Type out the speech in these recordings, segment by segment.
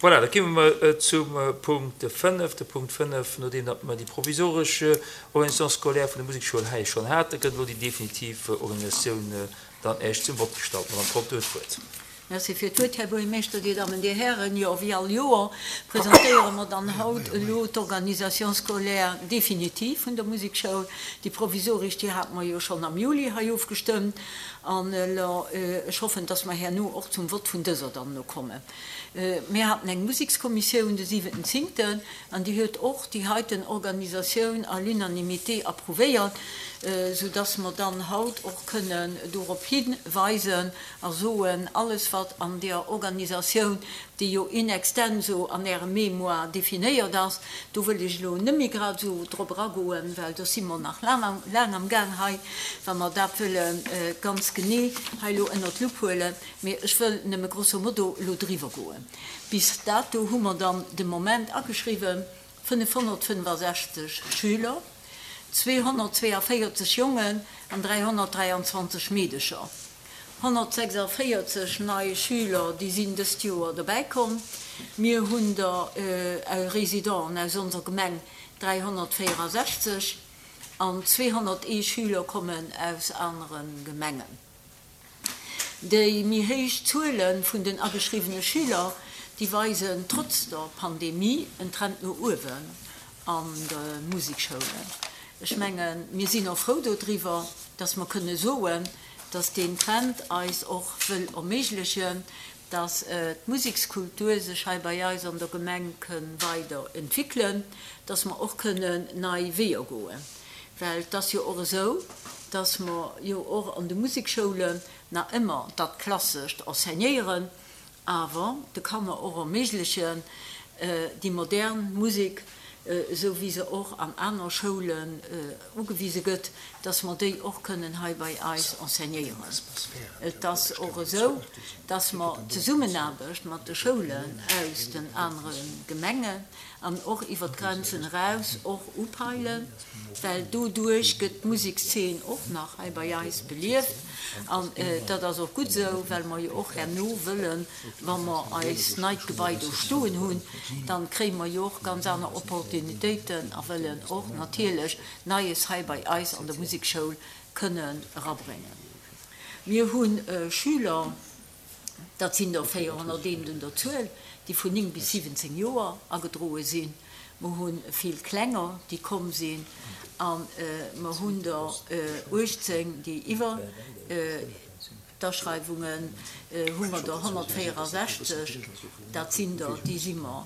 Voilà, da komme mer zum Punkt 5. De Punkt 5, nodeem datt mer déi provisoresch Organisation scolaire vun der Musekschoul hei schonn haten, gëtt elo déi definitiv Organisatioun dann Iech zum Vott gestallt. Madamm Conter huet d'Wuert. Merci fir d'Wuert, Här Buergermeeschter, Dir Dammen, Dir Hären. Jo, wéi all Joer presentéiere mer dann haut elo d'Organisation scolaire définitive vun der Musekschoul. Déi provisoresch, déi hate mer jo schonn am Juli hei ofgestëmmt. An elo, ech hoffen, dass mer herno och zum Vott vun dëser dann elo kommen. Mir haten eng Musekskommissioun de siwenten zéngten an déi huet och déi heiten Organisatioun à l'unanimité approuvéiert, soudass mer dann haut och kënnen dorop hiweisen a soen, alles wat an deer Organisatioun, déi jo in extenso an Ärem Mémoire definéiert ass, do wëll ech elo net méi grad esou drop eragoen, well do si mer nach laang am Gaang hei, wa mer dat wëlle ganz genee hei elo ënnert d'Lupp huelen. Mee ech wëll nëmme grosso modo elo driwwer goen. Bis dato hu mer dann de Moment ageschriwwen 565 Schüler, 242 Jongen an 323 Meedecher. 146 nei Schüler, déi sinn dëst Joer dobäi komm. Mir hunn der Résidenten aus onser Gemeng 364 an 201 Schüler kommen aus anere Gemengen. Déi méi héich Zuele vun den ageschriwwene Schüler, déi weisen trotz der Pandemie en Trend no uewen an de Musekschoulen. Ech mengen, mir sinn och frou dodriwwer, dass mer kënne soen, dass deen Trend eis och wëll erméiglechen, dass d'Musekskultur sech hei bei eis an der Gemeng kënn weider entwickeln, dass mer och kënnen nei Weeër goen. Well et ass jo och esou, dass mer jo och an de Musekschoulen nach ëmmer dat Klassescht enseignéieren, awer de Kanner och erméiglechen, déi modern Musek, esou wéi se och an aner Schoulen ugewise gëtt, dass mer déi och kënnen hei bei eis enseignéieren. Et ass och esou, dass mer d'Zesummenaarbecht mat de Schoulen aus den anere Gemengen an och iwwer d'Grenzen eraus och upeilen, well doduerch gëtt d'Musekszeen och nach hei bei eis belieft an dat ass och gutt esou, well mer jo och herno wëllen, wa mer eist neit Gebai do stoen hunn, dann kréie mer jo och ganz aner Opportunitéiten a wëllen och natierlech Neies hei bei eis an der Musekschoul kënnen erabréngen. Mir hu Schüler. Dat sinn der 401 un der Zuel, déi vun 9 bis 17 Joer agedroe sinn. Mer hu vill Klenger, déi komm sinn, a mer hunn der 18, déi iwwer d'Aschreiwungen hu mer der 164, dat sinn der, déi si mer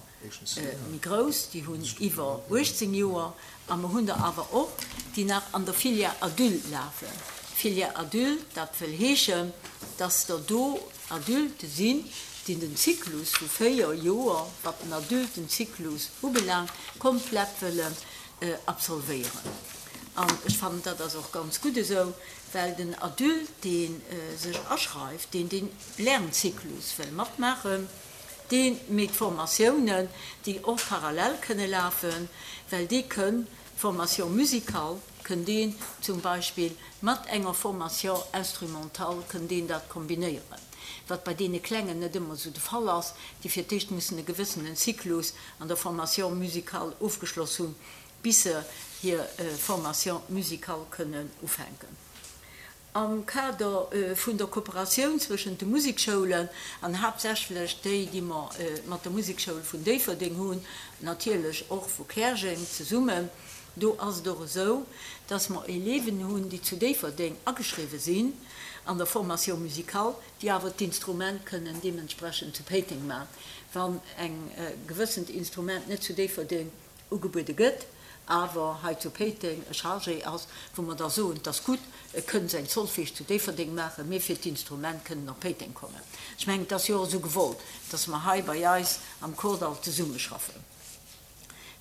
méi grouss, déi hunn iwwer 18 Joer, a mer hunn der awer och, déi nach an der Filière adulte lafen. Filière adulte, dat wëll heeschen, dass der do Adulte sinn, déi den Zyklus vu 4 Joer, wat den Adultenzyklus ubelaangt, komplett wëllen absolvéieren. An ech fannen, dat ass och ganz gutt esou, well den Adulte, dee sech aschreift, deen dee Lernzyklus wëll matmaachen, Dee méi d'Formatiounen, déi och parallel kënne lafen, well dee kënn d'Formation musicale kënn deen zum Beispill mat enger Formation instrumentale kënn deen dat kombinéieren, wat bei deene Klengen net ëmmer esou de Fall ass, déi fir d'éischt mussen e gewëssenen Zyklus an der Formation musicale ofgeschloss hunn, bis se hir Formation musicale kënnen ufänken. Am Kader vun der Kooperatioun zwëschent de Musekschoulen, an haaptsächlech déi, déi mer mat der Musekschoul vun Déifferdeng hunn, natierlech och vu Käerjeng zesummen, do ass et och esou, dass mer Eleven hunn, déi zu Déifferdeng ageschriwwe sinn an der Formation musicale, déi awer d'Instrument kënnen deementsprechend zu Péiteng maachen, wann eng gewëssent Instrument net zu Déifferdeng ugebuede gëtt, awer hei zu Péiteng e Chargé ass, wou mer da soen, 't ass gutt, e kënn säin Solfège zu Déifferdeng maachen, mee fir d'Instrument kënn en op Péiteng kommen. Ech mengen, et ass jo och esou gewollt, dass mer hei bei eis am Kordall zesummeschaffen.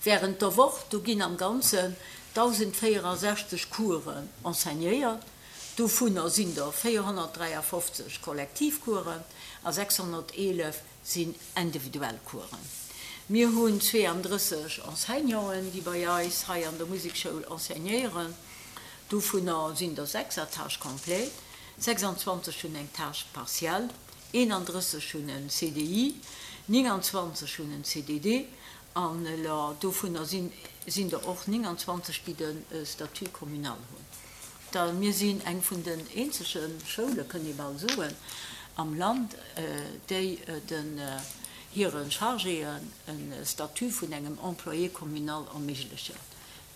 Während der Woch, do ginn am Ganzen 1.064 Coursen enseignéiert, dovunner sinn der 453 Kollektivcoursen a 611 sinn individuell Coursen. Mir hunn 32 Enseignanten, déi bei eis hei an der Musekschoul enseignéieren. Dovunner sinn der 6 à tâche complète, 26 hunn eng Tâche partielle, 31 hunn en CDI. 29 hunn en CDD an dovunner sinn der och 29, déi de Statut communal hunn. Da mir sinn eng vun den eenzege Schoule, kënnt ee bal soen, am Land, déi den hire Chargéen e Statut vun engem Employé communal erméiglechen.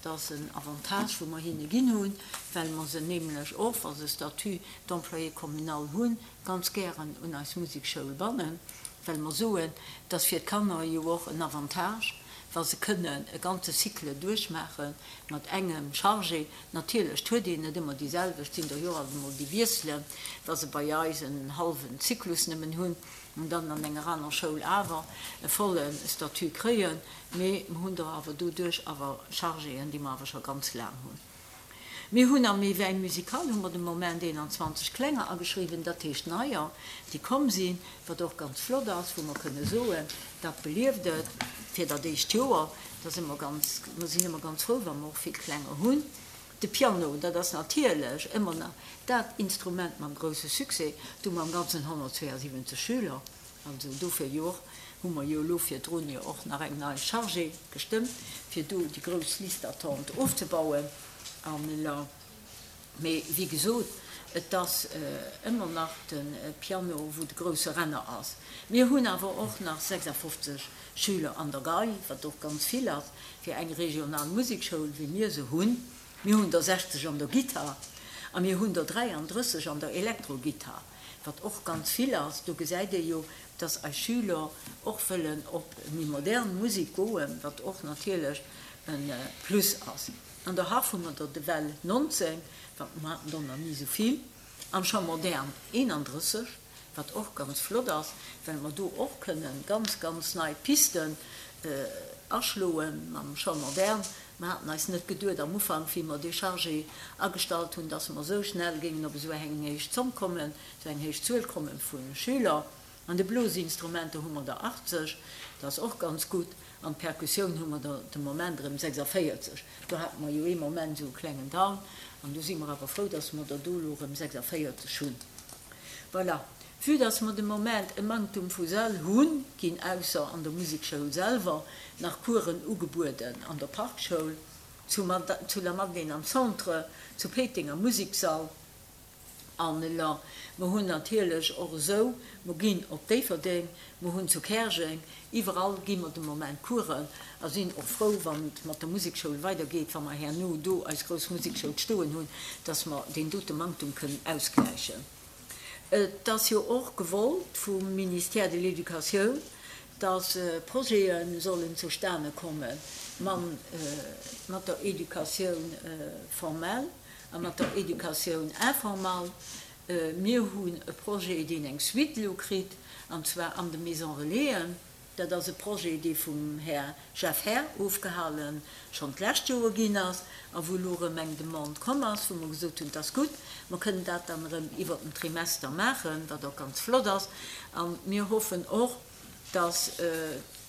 Dat ass en Avantage, wou mer hinne ginn hunn, well mer se nämlech och, wa se Statut d'employé communal hunn, ganz gären un eis Musekschoul bannen, well mer soen, et ass fir d'Kanner jo och en Avantage, wa se kënnen e ganze Cycle duerchmaache mat engem Chargé. Natierlech, 't huet een net ëmmer déi selwecht, sinn der jo alt emol déi wiesselen, wa se bei eis en hallwen Zyklus nëmmen hunn an dann an enger aner Schoul awer e volle Statut kréien. Mee mer hunn der awer doduerch awer Chargéen, déi mer awer scho ganz laang hunn. Mir hunn am Éveil musical hu mer de Moment 21 Klenger ageschriwwen, dat heescht neier, déi komm sinn, wat och ganz flott ass, wou mer kënne soen, dat belieft et fir dat éischt Joer. Da si mer ganz, mer sinn ëmmer ganz frou, wa mer och vill Klenger hunn. De Piano, dat ass natierlech ëmmer nach dat Instrument mam grousse Succès. Do hu mer am Ganzen 172 Schüler. Also dofir jo och hu mer jo elo virdrun jo och nach eng nei Chargée gestëmmt, fir do déi grouss Liste d'attente ofzebauen. An elo, mee wéi gesot, et ass ëmmer nach de Piano, wou de grousse Renner ass. Mir hunn awer och nach 56 Schüler an der Gei, wat och ganz vill ass fir eng regional Musekschoul, wéi mir se hunn. Mir hunn der 60 an der Gittar a mir hunn der 33 an der Elektrogittar. Wat och ganz vill ass, do gesäit ee jo, dass eis Schüler och wëllen op méi modern Musek goen, wat och natierlech e Plus ass. An der Harf hu mer der ewell 19, wat mer haten der nach ni esou vill, am Chant moderne 31, wat och ganz flott ass, well mer do och kënnen ganz, ganz nei Pisten aschloe mam Chant moderne. Mer haten eis net geduet am Ufank, wéi mer dee Chargé agestallt hunn, dass mer esou schnell géingen op esou eng héich Zomm kommen, esou eng héich Zuel komme vu Schüler. An de Blosinstrumenter hu mer der 80, dat ass och ganz gutt. An d'Perkussioun hu mer der de Moment erëm 46. Do hate mer jo ee Moment esou e klengen Down an do si mer awer frou, dass mer der do elo erëm 46 hunn. Voilà. Vue dass mer de Moment e Manktum vu Säll hunn, ginn ausser an der Musekschoul selwer nach Coursen ugebueden an der Parkschoul, zu zu Lamadelaine am Centre, zu Péiteng am Museksall an mer hunn natierlech och esou, mer ginn op Déifferdeng, mer hunn zu Käerjeng, iwwerall gi mer de Moment Coursen a sinn och frou, wann et mat der Musekschoul weidergeet, wa mer herno do eis grouss Musekschoul stoen hunn, dass mer deen dote Manktum kënnen ausgläichen. Et ass jo och gewollt vum Ministère de l'Éducatioun, dass Projete sollen zustane komme mat der Éducatioun formelle a mat der Éducatioun informalle. Mir hunn e Projet, deen eng Suite elo kritt, an zwar an de Maisons Relaisen. Dat ass e Projet, dee vum Här Jeff Herr ofgehale schonn d'lescht Joer ginn ass a wou elo erëm eng Demande komm ass, wou mer gesot hunn, 't ass gutt, mer kënnen dat dann erëm iwwert den Trimester maachen, wat och ganz flott ass. A mir hoffen och, dass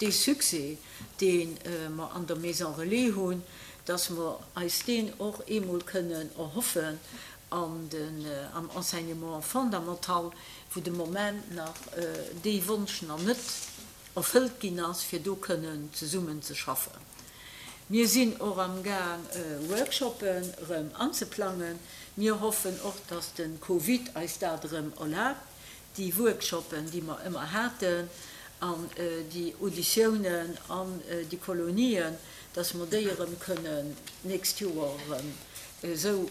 dee Succès, dee mer an der Maison Relais hunn, dass mer eis deen och eemol kënnen erhoffen an den, am Enseignement fondamental, wou de Moment nach dee Wonsch nach net erfëllt ginn ass, fir do kënnen zesummen ze schaffen. Mir sinn och am Gaang Workshoppen erëm anzeplangen. Mir hoffen och, dass de Covid eis dat erëm erlaabt, déi Workshoppen, déi mer ëmmer haten, an déi Auditiounen an déi Kolonien, dass mer déi erëm kënnen d'nächst Joer erëm esou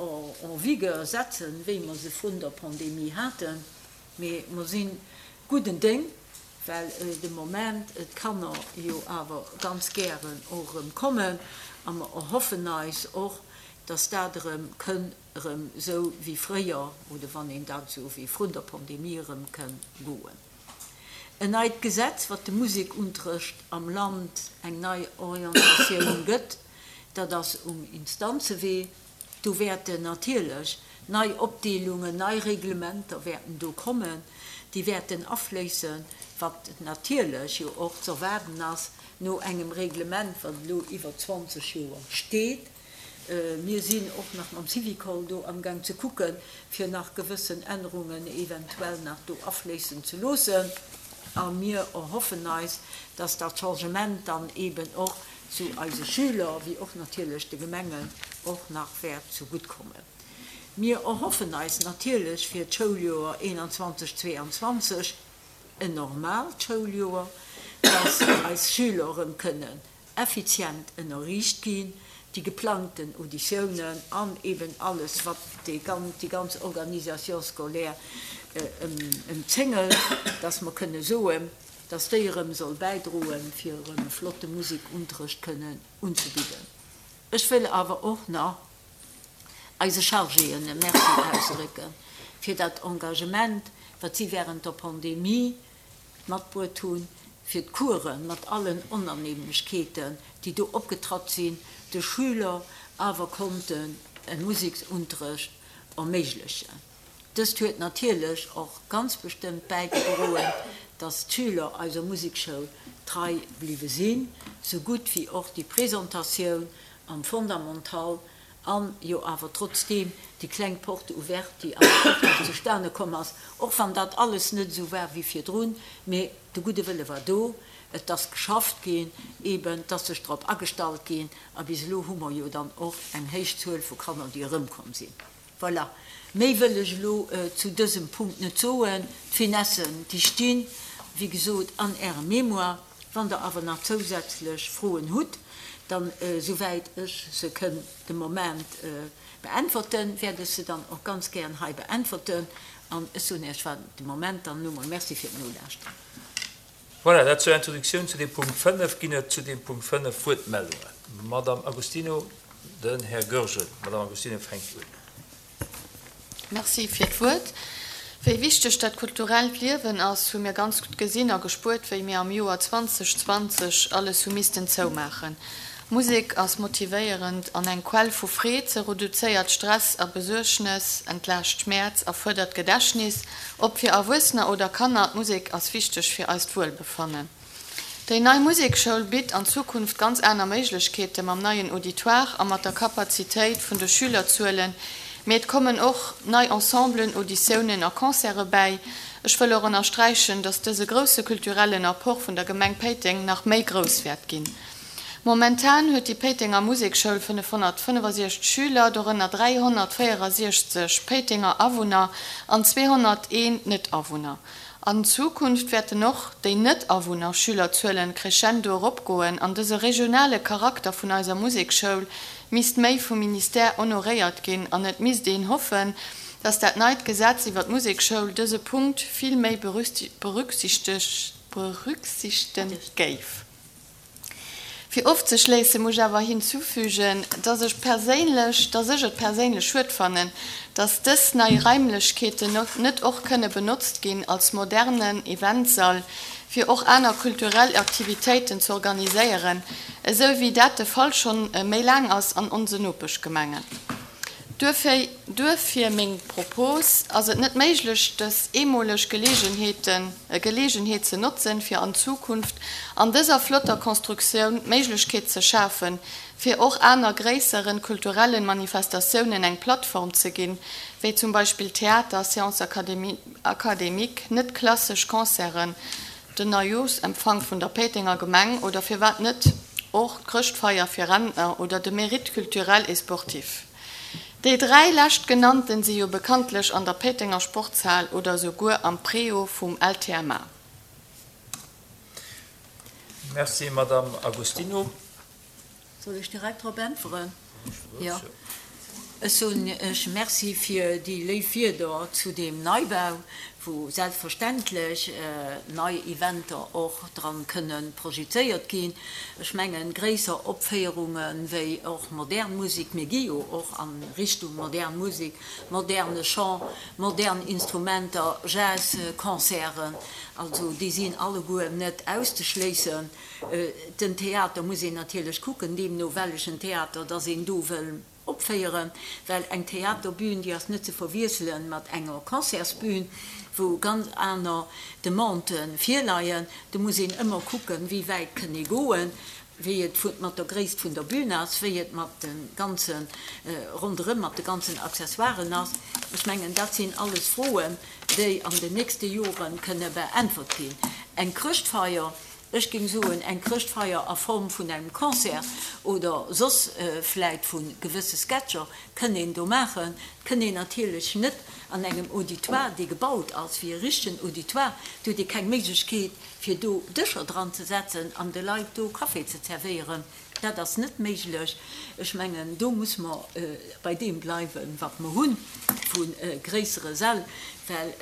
en vigueur setzen, wéi mer se vrun der Pandemie haten. Mee mer si gudden Déng, well de Moment d'Kanner jo awer ganz gären och erëm kommen a mer erhoffen eis och, dass dat erëm kënn erëm esou wéi fréier, oder wann een dat esou wéi vrun der Pandemie erëm kënn goen. En neit Gesetz, wat de Musekunterrecht am Land eng nei Orientatioun gëtt, dat ass um Instanzewee. Do wäerten natierlech nei Opdeelungen, nei Reglementer wäerten do kommen, déi wäerten afléissen, wat natierlech jo och z'erwaarden ass no engem Reglement, wat elo iwwer 20 Joer steet. Mir sinn och nach mam Syvicol do amgaang ze kucken, fir nach gewëssen Ännerungen eventuell nach do afléissen ze loossen. A mir erhoffen eis, dass dat Changement dann eeben och zu eise Schüler, wéi och natierlech de Gemengen och nach wäert zegutt kommen. Mir erhoffen eis natierlech fir d'Schouljoer 21, 22 en normaalt Schouljoer, dass eis Schüler erëm kënnen effizient ënnerriicht ginn, déi geplangten Auditiounen an eben alles, wat déi ganz Organisation scolaire ëmzéngelt, dass mer kënne soen, dass déi erëm soll bäidroen, fir erëm e flotte Musekunterrecht kënnen unzebidden. Ech wëll awer och nach eise Chargéen e Merci ausdrécke fir dat Engagement, wat si während der Pandemie matbruet hunn, fir d'Coursen, mat allen Onannehmlechkeeten, déi do opgetratt sinn, de Schüler awer konnten e Museksunterrecht erméiglechen. Dëst huet natierlech och ganz bestëmmt bäigedroen, dass d'Schüler eiser Musekschoul trei bliwwe sinn, sou gutt wéi och déi Presentatioun am Fondamental An jo awer trotzdeem déi kleng Porte ouverte, déi awer och nach zustane komm ass, och wann dat alles net esou war wéi virdrun, mee de gudde Wëlle war do, et ass geschafft ginn, eeben, et ass sech drop agestallt ginn a bis elo hu mer jo dann och eng héich Zuel vu Kanner, déi erëmkomm sinn. Voilà, méi wëll ech elo zu dësem Punkt net soen. D'Finessen, déi stinn, wéi gesot, an Ärem Mémoire. Wann Der awer nach zousätzlech Froen hutt, dann, souwäit ech se kënn de Moment beäntwerten, wäert ech se dann och ganz gären hei beäntwerten. An ech soen Iech fir de Moment dann elo mol Merci fir d'Nolauschteren. Voilà, dat zur Introduktioun zu deem Punkt 5. Ginn et zu deem Punkt 5 Wuertmeldungen? Madamm Agostino, den Här Goergen. Madamm Agostino fänkt un. Merci fir d'Wuert. Wéi wichteg dat kulturellt Liewen ass, hu mir ganz gutt gesinn a gespuert, wéi mir am Joer 2020 alles hu missten zoumaachen. Musek ass motivéierend an eng Quell vu Freed, se reduzéiert Stress a Besuergnes, entlaascht Schmäerz a fuerdert d'Gedächtnis, ob fir Erwuessener oder Kanner, d'Musek ass wichteg fir eist Wuelbefannen. Déi nei Musekschoul bitt an Zukunft ganz aner Méiglechkeete mam neien Auditoire a mat der Kapazitéit vun de Schülerzuelen, mee et kommen och nei Ensemblen, Auditiounen a Concerte bäi. Ech wëll och ënnersträichen, dass dëse grousse kulturellen Apport vun der Gemeng Péiteng nach méi grouss wäert ginn. Momentan huet déi Péitenger Musekschoul 565 Schüler, dorënner 364 Péitenger Awunner an 201 Net-Awunner. An Zukunft wäerten och déi Net-Awunner-Schülerzuelen crescendo eropgoen an dëse regionale Charakter vun eiser Musekschoul misst méi vum Ministère honoréiert ginn an et misst een hoffen, dass dat neit Gesetz iwwer d'Musekschoul dëse Punkt vill méi berücksichtegen géif. Fir ofzeschléisse muss ech awer hinzufügen, dass ech perséinlech, dass ech et perséinlech schued fannen, dass dës nei Raimlechkeeten net och kënne benotzt ginn als modernen Eventsall, fir och aner kulturell Aktivitéiten ze organiséieren, esou wéi dat de Fall schonn méi laang ass an onse Nopeschgemengen. Duerfir, duerfir meng Propos, Ass et net méiglech, dës eemoleg Geleegenheeten, Geleegenheet ze notzen, fir an Zukunft an dëser flotter Constructioun d'Méiglechkeet ze schafen, fir och aner gréisseren kulturellen Manifestatiounen eng Plattform ze ginn, wéi zum Beispill Theater, Séances académiques, net klassesch Concerten, den Neijooschempfang vun der Péitenger Gemeng oder firwat net och d'Chrëschtfeier fir Rentner oder de Mérite culturel et sportif. Déi 3 leschtgenannten si jo bekanntlech an der Péitenger Sportshal oder esouguer am Préau vum LTMA. Merci, Madame Agostino. Soll ech direkt drop äntweren? Jo. Ech soen Iech Merci fir déi léif Wierder zu deem Neibau, wou selbstverständlech nei Eventer och dran kënne projizéiert ginn. Ech mengen, gréisser Opféierunge wéi och modern Musek, mir gi jo och a Richtung modern Musek, moderne Chant, modern Instrumenter, Jazzconcerten, also déi sinn alleguer net auszeschléissen. Den Theater muss een natierlech kucken, deemno wellechen Theater dass een do wëll opféieren. opféieren, well eng Theaterbühn, déi ass net ze verwiessele mat enger Concertsbühn, wou ganz aner Demandë virleien. Do muss een ëmmer kucken, wéi wäit kënn ee goen, wéi et mat der Gréisst vun der Bühn ass, wéi et mat de ganze ronderëm, mat de ganzen Accessoiren ass. Ech mengen, dat sinn alles Froen, déi an den nächste Jore kënne beäntwert ginn. Eng Chrëschtfeier, ech géing soen, eng Chrëschtfeier a Form vun engem Concert oder soss vläit vu gewësse Sketcher kënn een do maachen. Kënn een natierlech net an engem Auditoire, dee gebaut ass wéi e richtegen Auditoire, do huet ee keng Méiglechkeet, fir do Dëscher dran ze setzen an de Leit do Café ze zerwéieren, dat ass net méiglech. Ech mengen, do muss mer bei deem bleiwen, wat mer hu vu gréissere Säll, well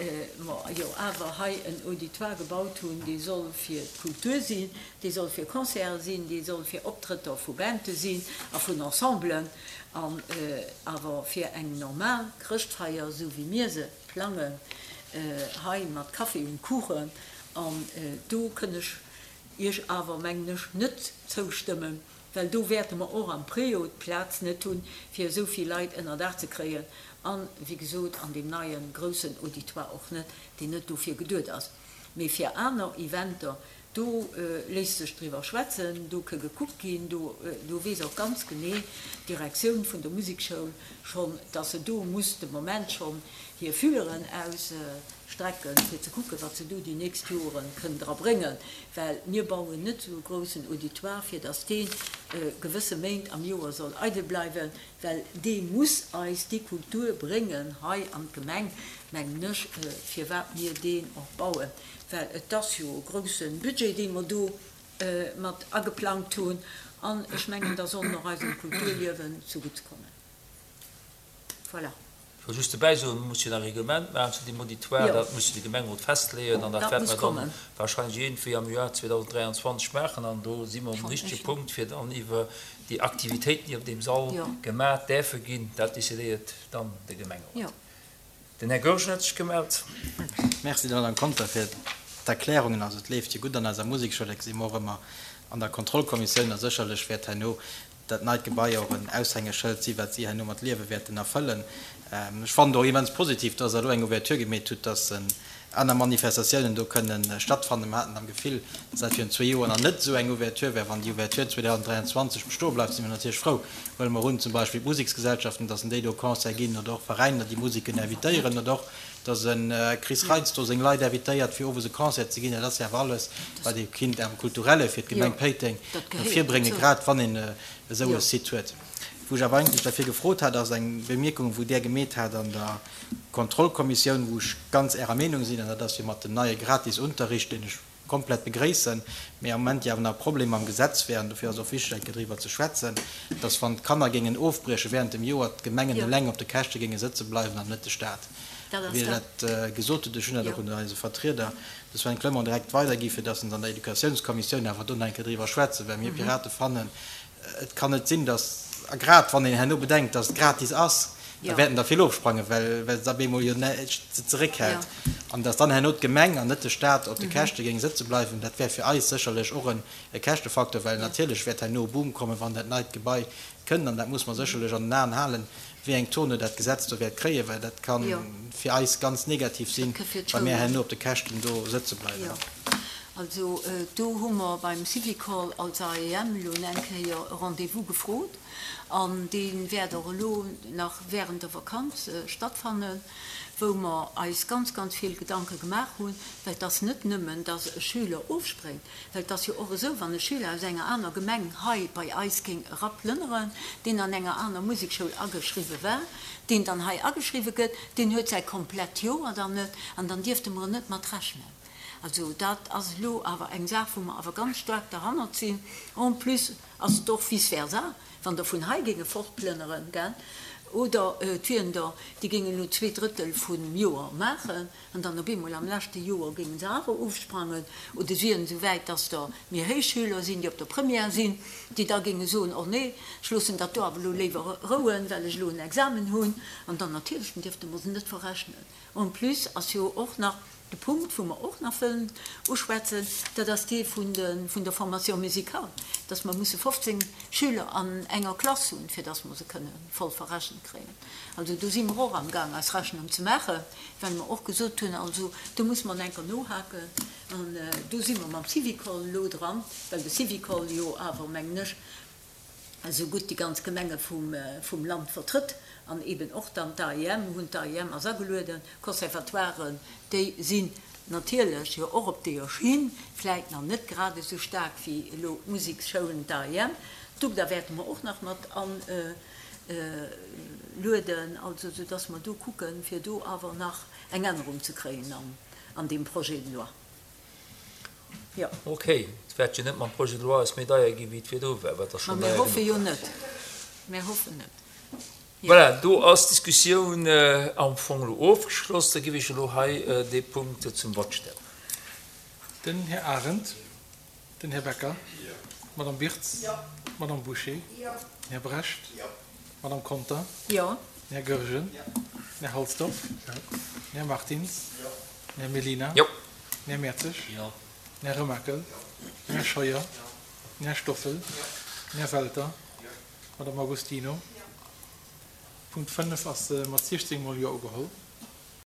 mer jo awer hei en Auditoire gebaut hunn, dee soll fir d'Kultur sinn, dee soll fir Concerte sinn, dee soll fir Optrëtter vu Bande sinn a vun Ensemblen, an awer fir eng normal Chrëschtfeier, esou wéi mir se plangen hei mat Café und Kuchen, an do kënn ech Iech awer, mengen ech, net zoustëmmen, well do wäerte mer och am Préau d'Plaz net hunn, fir esou vill Leit ënner Daach ze kréien, an, wéi gesot, an deem neie groussen Auditoire och net, deen net dofir geduet ass. Mee fir aner Eventer, do léisst sech driwwer schwätzen, do ke gekuckt ginn, do do weess och ganz genee d'Direktioun vun der Musekschoul schonn, dass se do muss de Moment schonn hir Fühleren ausstrecken, fir ze kucken, wat se do déi nächst Joren kënnen dra bréngen, well mir bauen net esou e groussen Auditoire, fir dass dee gewësse Méint am Joer soll eidel bleiwen, well dee muss eis déi Kultur bréngen hei an d'Gemeng, mengen ech, firwat mir deen och bauen. Well et ass jo e grousse Budget, dee mer do mat ageplangt hunn, an ech mengen, da soll en och eisem Kulturliewen zegutt kommen. Voilà. Ech wollt just dobäi soen, mir musse jo nach e Reglement maachen zu deem Auditoire. Dat muss jo de Gemengerot festleeën an dat wäerte mer dann wahrscheinlech iergendwéi am Joer 2023 maachen. An do si mer um richtege Punkt, fir dann iwwer déi Aktivitéiten, déi op deem Sall gemaach däerfe ginn, dat decidéiert dann de Gemengerot. Den Här Goergen huet sech gemellt. Merci der Madame Conter fir d'Erklärungen. Also et leeft jo gutt an eiser Musekschoul, dat gesi mer och ëmmer an der Kontrollkommissioun. A sécherlech wäert herno dat neit Gebai och en Aushängeschëld si wat si herno mat Liewe wäerten erfëllen. Ech fannen et och immens positiv, dass Der elo eng Ouverture gemeet hutt, dass aner Manifestatiounen do kënnen stattfannen. Mer haten am Gefill, dass dat virun zwee Joer nach net esou eng Ouverture wär. Wann déi Ouverture 2023 bestoe bleift, si mer natierlech frou. Huele mer un, zum Beispill d'Museksgesellschaften, dass en déi do Concert ginn oder och Veräiner, déi Museken invitéieren oder och, dass e Chris Reitz do seng Leit invitéiert, fir owes e Concert ze ginn. Dat ass jo awer alles, wat ee kinnt am Kulturelle fir d'Gemeng Péiteng no vir bréngen, grad wann een esou e Site huet. Wou ech awer eigentlech derfir gefrot hat, ass eng Bemierkung, wou Där gemeet hat an der Kontrollkommissioun, wou ech ganz Ärer Meenung sinn, an dat ass jo mat dem neie Gratisunterricht, deen ech komplett begréissen, mee am Moment jo awer nach e Problem mam Gesetz wär, an dofir ass et och wichteg, eng Kéier driwwer ze schwätzen, dass wann d'Kanner géingen ofbrieche während dem Joer, d'Gemengen eleng op de Käschte géinge sëtze bleiwen an net de Stat. Wéi Der dat gesot hutt, ech hunn dat och un eise Vertrieder, de Sven Clement, direkt weidergi fir dass en an der Educatiounskommissioun awer do nach eng Kéier driwwer schwätzen, well mir Pirate fannen, Et kann net sinn, datt, a grad wann een herno bedenkt, datt et gratis ass, da wäerten der vill ofsprangen, well well se op eemol jo näischt se zeréckhält, an datt dann herno d'Gemeng an net de Stat op de Käschte géing sëtze bleiwen, dat wär fir eis sécherlech och e Käschtefaktor, well natierlech wäert herno e Boom kommen, wann dat neit Gebai kënnt, an dat muss mer sécherlech an den Aen halen, wéi eng Tournure dat Gesetz do wäert kréien, well dat ka fir eis ganz negativ sinn, wa mir herno op de Käschten do sëtze bleiwen. Jo, also do hu mer beim Syvicol als AEM elo eng Kéier e Rendez-vous gefrot an dee wäert och elo nach während der Vakanz stattfannen, wou mer eis ganz, ganz vill Gedanke gemaach hunn, well et ass net nëmmen, dass e Schüler ofspréngt, Well et ass jo och esou, wann e Schüler aus enger aner Gemeng hei bei eis géing eraplënneren, deen an enger aner Musekschoul ageschriwwe war, deen dann hei ageschriwwe gëtt, deen huet säi komplett Joer dann net an dann dierfte mer en net mat rechnen. Also dat ass elo awer eng Saach, wou mer awer ganz staark derhannert sinn. En plus ass et och vice versa, wann der vun hei géinge fortplënneren, gell, oder et wieren der, déi géingen elo zweedrëttel vum Joer maachen, An dann op eemol am leschte Joer géinge se awer ofsprangen oder si wieren esou wäit, dass der méi héich Schüler sinn, déi op der Première sinn, déi da géinge soen, Oh nee, ech loossen dat do awer elo léiwer rouen, well ech elo en Examen hunn. An dann natierlech, dann dierfte mer se net verrechnen. En plus ass jo och nach. De Punkt, wou mer och nach wëllen uschwätzen, dat ass dee vun der Formation musicale, dass mer musse 15 Schüler an enger Klass hunn, fir dass mer se kënne voll verrechent kréien. Also do si mer och amgaang eis Rechnung ze maachen, well mer och gesot hunn, also do muss mer enker nohaken. An do si mer mam Syvicol elo dran, well de Syvicol jo awer, mengen ech, esou gutt déi ganz Gemenge vum Land vertrëtt an eben och dann d'AEM. Mir hunn d'AEM ass agelueden, d'Conservatoiren, déi sinn natierlech jo och op deeër Schinn, vläit nach net grad esou staark wéi elo d'Museksschoulen, d'AEM. D'UGDA wäerte mer och nach mat alueden, also soudass mer do kucken, fir do awer nach eng Ännerung ze kréien an deem Projet de loi. Jo. Ok, et wäert jo net mam Projet de loi eis méi deier gi wéi et virdru war, wat da schonn deier genuch war. Mä mir hoffe jo net. Mir hoffen net. Jo. Voilà, do ass d'Diskussioun am Fong elo ofgeschloss. Da géif ech elo hei dee Punkt zum Vott stellen. Den Här Arendt. Den Här Becker. D'Madame Birtz. D'Madame Bouché. Den Här Brecht. D'Madame Conter. Den Här Goergen. Den Här Halsdorf. Den Här Martins. Den Här Mellina. Den Här Mertzig. Den Här Remakel. Den Här Scheuer. Den Här Stoffel. Den Här Welter. D'Madame Agostino. Punkt 5 ass mat 16 mol Jo ugeholl.